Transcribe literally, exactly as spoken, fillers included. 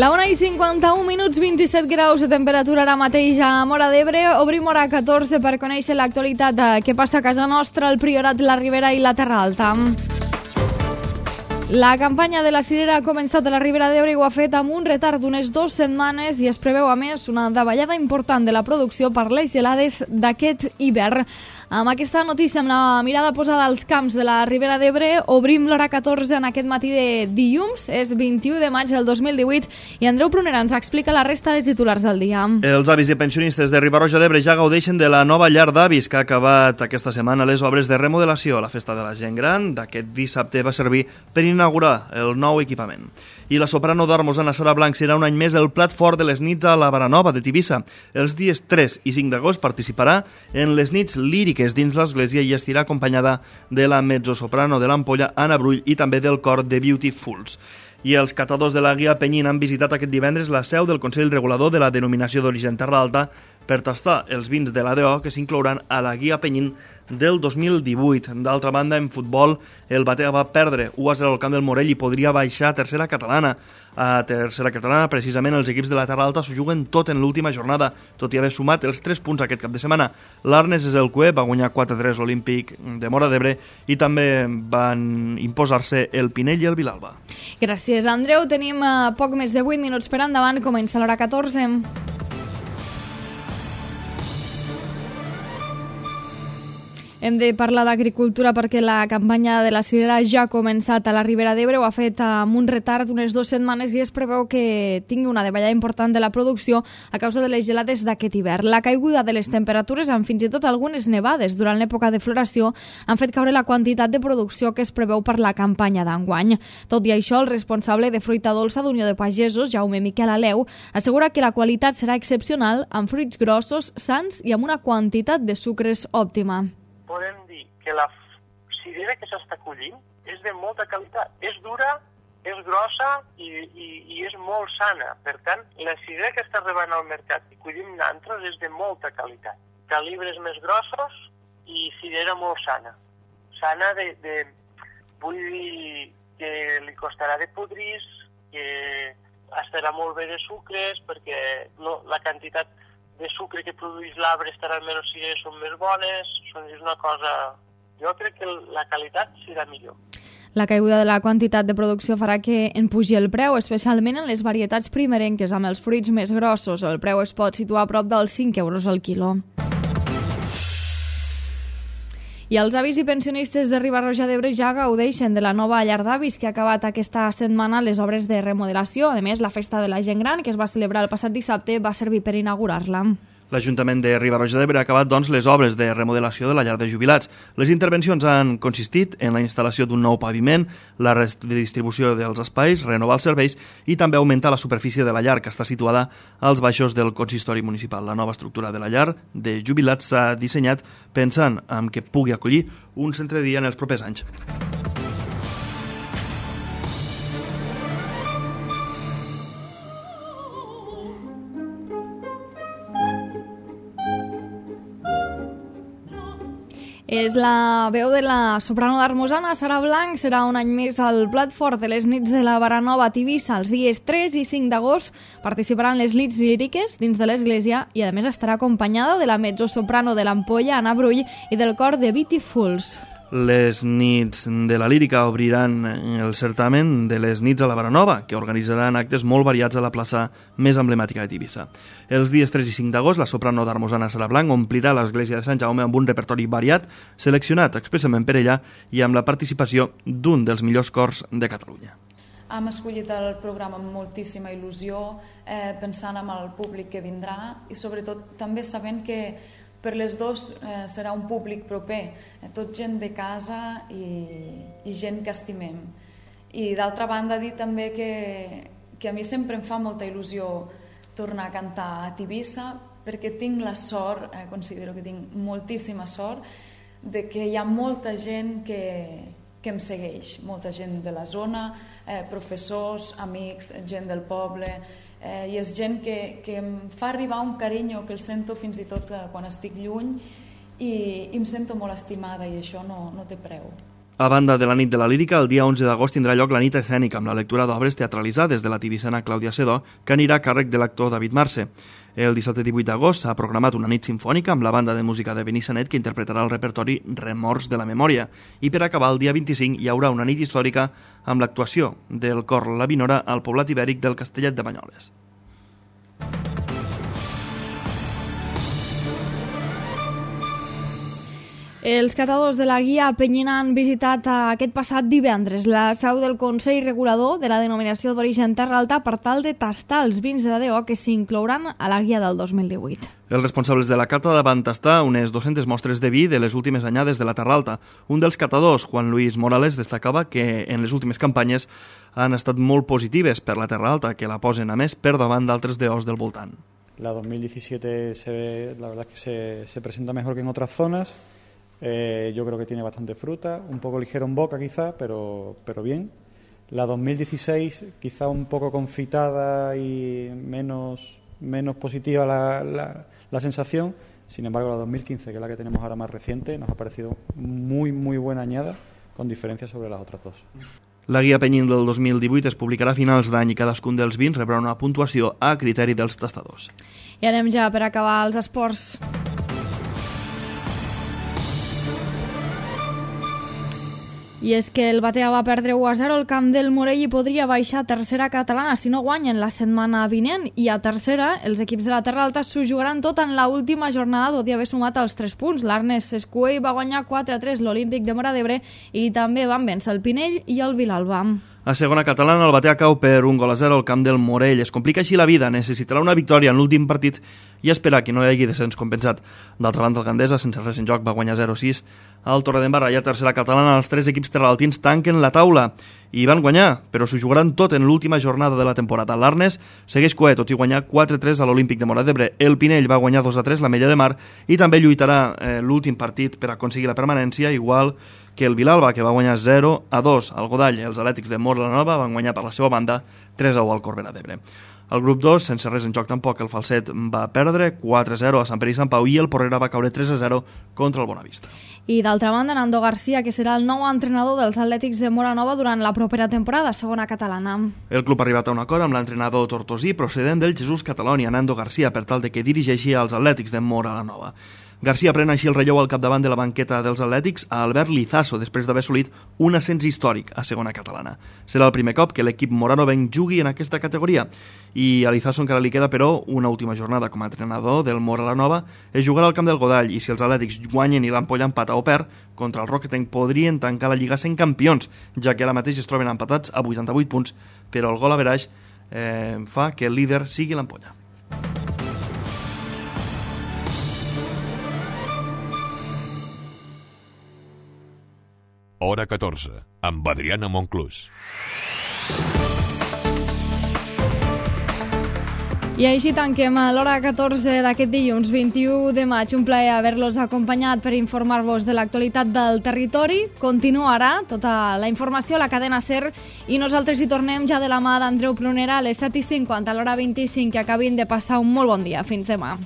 La una i cinquanta-un minuts, vint-i-set graus de temperatura ara mateix a Móra d'Ebre. Obrim hora catorze per conèixer l'actualitat de què passa a casa nostra, el Priorat, la Ribera i la Terra Alta. La campanya de la cirera ha començat a la Ribera d'Ebre i ho ha fet amb un retard d'unes dues setmanes i es preveu, a més, una davallada important de la producció per les gelades d'aquest hivern. Amb aquesta notícia, amb la mirada posada als camps de la Ribera d'Ebre, obrim l'hora catorze en aquest matí de dilluns, és vint-i-u de maig del dos mil divuit, i Andreu Prunera ens explica la resta de titulars del dia. Els avis i pensionistes de Riba-roja d'Ebre ja gaudeixen de la nova llar d'avis que ha acabat aquesta setmana les obres de remodelació. La festa de la gent gran d'aquest dissabte va servir per inaugurar el nou equipament. I la soprano d'Ormos, Anna Sara Blanc, serà un any més el plat fort de les nits a la Baranova de Tivissa. Els dies tres i cinc d'agost participarà en les nits líriques dins l'església i estirà acompanyada de la mezzosoprano de l'Ampolla, Anna Brull, i també del cor de Beautifuls. I els catadors de la Guia Penyín han visitat aquest divendres la seu del Consell Regulador de la denominació d'origen Terra Alta per tastar els vins de l'A D O que s'inclouran a la Guia Penyín del dos mil divuit. D'altra banda, en futbol, el Batea va perdre u a zero al camp del Morell i podria baixar a tercera catalana. A tercera catalana, precisament, els equips de la Terra Alta s'ho juguen tot en l'última jornada, tot i haver sumat els tres punts aquest cap de setmana. L'Arnes és el Cué, va guanyar quatre a tres l'Olímpic de Móra d'Ebre i també van imposar-se el Pinell i el Vilalba. Gràcies, Andreu. Tenim uh, poc més de vuit minuts per endavant. Comença l'hora catorze. Hem de parlar d'agricultura perquè la campanya de la cirera ja ha començat a la Ribera d'Ebre, ho ha fet amb un retard d'unes dues setmanes i es preveu que tingui una davallada important de la producció a causa de les gelades d'aquest hivern. La caiguda de les temperatures, amb fins i tot algunes nevades durant l'època de floració, han fet caure la quantitat de producció que es preveu per la campanya d'enguany. Tot i això, el responsable de fruita dolça d'Unió de Pagesos, Jaume Miquel Aleu, assegura que la qualitat serà excepcional, amb fruits grossos, sans i amb una quantitat de sucres òptima. Podem dir que la cirera que s'està collint és de molta qualitat. És dura, és grossa i, i, i és molt sana. Per tant, la cirera que està arribant al mercat i collim nantros és de molta qualitat. Calibres més grossos i cirera molt sana. Sana de, de vull dir que li costarà de podrir, que estarà molt bé de sucres, perquè no, la quantitat de sucre que produeix l'arbre estarà almenys si són més bones, és una cosa... Jo crec que la qualitat serà millor. La caiguda de la quantitat de producció farà que en pugi el preu, especialment en les varietats primerenques amb els fruits més grossos. El preu es pot situar a prop dels cinc euros al quilo. I els avis i pensionistes de Riba-roja d'Ebre ja gaudeixen de la nova llar d'avis que ha acabat aquesta setmana les obres de remodelació. A més, la festa de la gent gran, que es va celebrar el passat dissabte, va servir per inaugurar-la. L'Ajuntament de Riba-roja d'Ebre ha acabat, doncs, les obres de remodelació de la llar de jubilats. Les intervencions han consistit en la instal·lació d'un nou paviment, la redistribució dels espais, renovar els serveis i també augmentar la superfície de la llar, que està situada als baixos del consistori municipal. La nova estructura de la llar de jubilats s'ha dissenyat pensant en que pugui acollir un centre de dia en els propers anys. És la veu de la soprano d'Ormos, Anna Sara Blanc. Serà un any més al plat fort de les nits de la Baranova a Tivissa. Els dies tres i cinc d'agost participaran les nits líriques dins de l'església i a més estarà acompanyada de la mezzosoprano de l'Ampolla, Anna Brull, i del cor de Beautifuls. Les nits de la lírica obriran el certamen de les nits a la Baranova, que organitzaran actes molt variats a la plaça més emblemàtica de Tivissa. Els dies tres i cinc d'agost, la soprano d'Ormos, Anna Sara Blanc, omplirà l'església de Sant Jaume amb un repertori variat, seleccionat expressament per ella i amb la participació d'un dels millors cors de Catalunya. Hem escollit el programa amb moltíssima il·lusió, eh, pensant en el públic que vindrà i sobretot també sabent que per les dues eh, serà un públic proper, eh, tot gent de casa i, i gent que estimem. I d'altra banda dir també que, que a mi sempre em fa molta il·lusió tornar a cantar a Tivissa perquè tinc la sort, eh, considero que tinc moltíssima sort, de que hi ha molta gent que, que em segueix, molta gent de la zona, eh, professors, amics, gent del poble, eh, i és gent que, que em fa arribar un carinyo que el sento fins i tot quan estic lluny i, i em sento molt estimada i això no, no té preu. A banda de la nit de la lírica, el dia onze d'agost tindrà lloc la nit escènica amb la lectura d'obres teatralitzades de la tibissana Clàudia Sedó, que anirà a càrrec de l'actor David Marce. El dissabte divuit d'agost s'ha programat una nit sinfònica amb la banda de música de Benissanet que interpretarà el repertori Remors de la Memòria. I per acabar, el dia vint-i-cinc hi haurà una nit històrica amb l'actuació del cor La Vinora al poblat ibèric del Castellet de Banyoles. Els catadors de la guia Penyina han visitat aquest passat divendres la seu del Consell Regulador de la denominació d'origen Terra Alta per tal de tastar els vins de la D O que s'inclouran a la guia del dos mil divuit. Els responsables de la cata van tastar unes dues-centes mostres de vi de les últimes anyades de la Terra Alta. Un dels catadors, Juan Luis Morales, destacava que en les últimes campanyes han estat molt positives per la Terra Alta, que la posen a més per davant d'altres D Os del voltant. La dos mil diecisiete se ve, la verdad es que se, se presenta mejor que en otras zonas. Eh, yo creo que tiene bastante fruta, un poco ligero en boca quizá, pero, pero bien. La dos mil dieciséis quizá un poco confitada y menos, menos positiva la, la, la sensación. Sin embargo, la dos mil quince, que es la que tenemos ahora más reciente, nos ha parecido muy, muy buena añada, con diferencia sobre las otras dos. La guia Penyín del dos mil divuit es publicarà a finals d'any i cadascun dels vins rebrà una puntuació a criteri dels tastadors. I anem ja per acabar els esports. I és que el Batea va perdre u a zero al camp del Morell i podria baixar a tercera catalana si no guanyen la setmana vinent. I a tercera, els equips de la Terra Alta s'ho jugaran tot en l'última jornada, tot i haver sumat els tres punts. L'Arnes Escuell va guanyar quatre a tres l'Olímpic de Móra d'Ebre i també van vèncer el Pinell i el Vilalba. A segona catalana, el Batea cau per un gol a zero al camp del Morell. Es complica així la vida, necessitarà una victòria en l'últim partit i esperar que no hi hagi descens compensat. D'altra banda, el Gandesa, sense res en joc, va guanyar zero a sis. Al Torredembarra i a tercera catalana, els tres equips terraltins tanquen la taula i van guanyar, però s'ho jugaran tot en l'última jornada de la temporada. L'Arnes segueix coet, tot i guanyar quatre a tres a l'Olímpic de Móra d'Ebre. El Pinell va guanyar dos a tres la Mella de Mar i també lluitarà eh, l'últim partit per aconseguir la permanència, igual que el Vilalba, que va guanyar zero a dos al Godall. Els Atlètics de Móra la Nova van guanyar per la seva banda tres a u al Corbera d'Ebre. El grup dos, sense res en joc tampoc, el Falset va perdre quatre a zero a Sant Pere i Sant Pau i el Porrera va caure tres a zero contra el Bonavista. I d'altra banda, Nando García, que serà el nou entrenador dels Atlètics de Móra Nova durant la propera temporada, segona catalana. El club ha arribat a un acord amb l'entrenador tortosí procedent del Jesús Catalònia, Nando García, per tal de que dirigeixi els Atlètics de Móra la Nova. García pren així el relleu al capdavant de la banqueta dels Atlètics a Albert Lizaso, després d'haver assolit un ascens històric a segona catalana. Serà el primer cop que l'equip moranovenc jugui en aquesta categoria i a Lizaso encara li queda, però, una última jornada com a entrenador del Móra la Nova. Es jugarà al camp del Godall i si els Atlètics guanyen i l'Ampolla empata o perd, contra el Roquetenc podrien tancar la Lliga sent campions, ja que ara mateix es troben empatats a vuitanta-vuit punts, però el gol average eh, fa que el líder sigui l'Ampolla. Hora catorze, amb Adriana Monclús. I així tanquem l'hora catorze d'aquest dilluns vint-i-u de maig. Un plaer haver-los acompanyat per informar-vos de l'actualitat del territori. Continuarà tota la informació a la cadena SER i nosaltres hi tornem ja de la mà d'Andreu Prunera a les set i cinquanta, a l'hora vint-i-cinc, que acabin de passar un molt bon dia. Fins demà.